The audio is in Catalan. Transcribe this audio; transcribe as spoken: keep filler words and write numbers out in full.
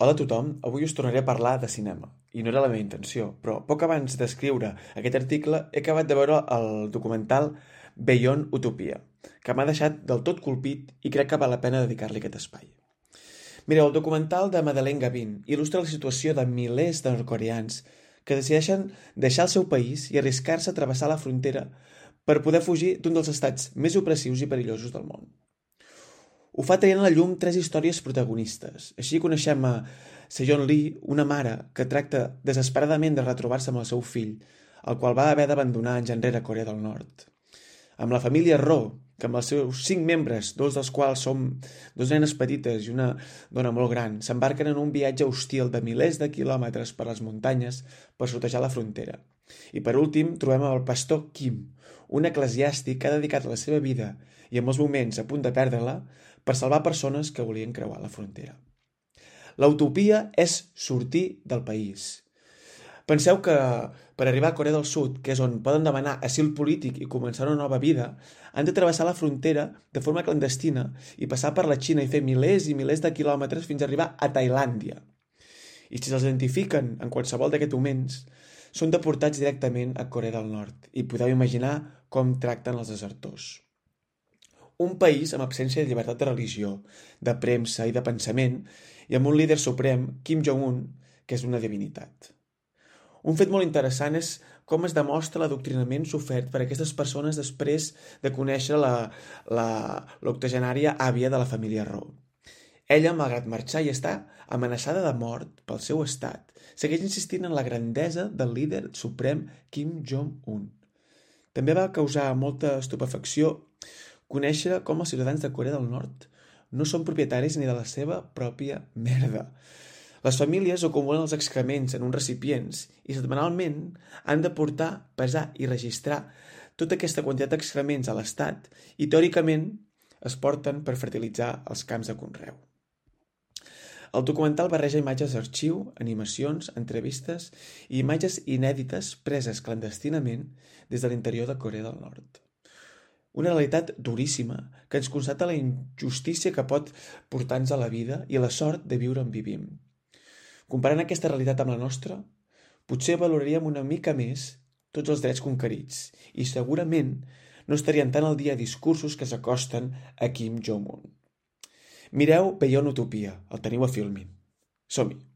Hola a tothom, avui us tornaré a parlar de cinema. I no era la meva intenció, però poc abans d'escriure aquest article he acabat de veure el documental Beyond Utopia, que m'ha deixat del tot colpit i crec que val la pena dedicar-li aquest espai. Mireu, el documental de Madeleine Gavin il·lustra la situació de milers de nord-coreans que decideixen deixar el seu país i arriscar-se a travessar la frontera per poder fugir d'un dels estats més opressius i perillosos del món. Ho fa traient a la llum tres històries protagonistes. Així coneixem a Sejon Lee, una mare que tracta desesperadament de retrobar-se amb el seu fill, el qual va haver d'abandonar anys enrere a Corea del Nord. Amb la família Ro, que amb els seus cinc membres, dos dels quals són dos nenes petites i una dona molt gran, s'embarquen en un viatge hostil de milers de quilòmetres per les muntanyes per sortejar la frontera. I per últim trobem el pastor Kim, un eclesiàstic que ha dedicat la seva vida i en molts moments a punt de perdre-la per salvar persones que volien creuar la frontera. La utopia és sortir del país. Penseu que per arribar a Corea del Sud, que és on poden demanar asil polític i començar una nova vida, han de travessar la frontera de forma clandestina i passar per la Xina i fer milers i milers de quilòmetres fins a arribar a Tailàndia. I si se'ls identifiquen en qualsevol d'aquests moments, són deportats directament a Corea del Nord i podeu imaginar com tracten els desertors. Un país amb absència de llibertat de religió, de premsa i de pensament, i amb un líder suprem, Kim Jong-un, que és una divinitat. Un fet molt interessant és com es demostra l'adoctrinament sofert per aquestes persones després de conèixer la, la, l'octogenària àvia de la família Ro. Ella, malgrat marxar i estar amenaçada de mort pel seu estat, segueix insistint en la grandesa del líder suprem Kim Jong-un. També va causar molta estupefacció conèixer com els ciutadans de Corea del Nord no són propietaris ni de la seva pròpia merda. Les famílies acumulen els excrements en uns recipients i setmanalment han de portar, pesar i registrar tota aquesta quantitat d'excrements a l'Estat i teòricament es porten per fertilitzar els camps de conreu. El documental barreja imatges d'arxiu, animacions, entrevistes i imatges inèdites preses clandestinament des de l'interior de Corea del Nord. Una realitat duríssima que ens constata la injustícia que pot portar-nos a la vida i la sort de viure on vivim. Comparant aquesta realitat amb la nostra, potser valoraríem una mica més tots els drets conquerits i segurament no estarien tan al dia discursos que s'acosten a Kim Jong-un. Mireu Beyond Utopia, el teniu a Filmin. Som-hi!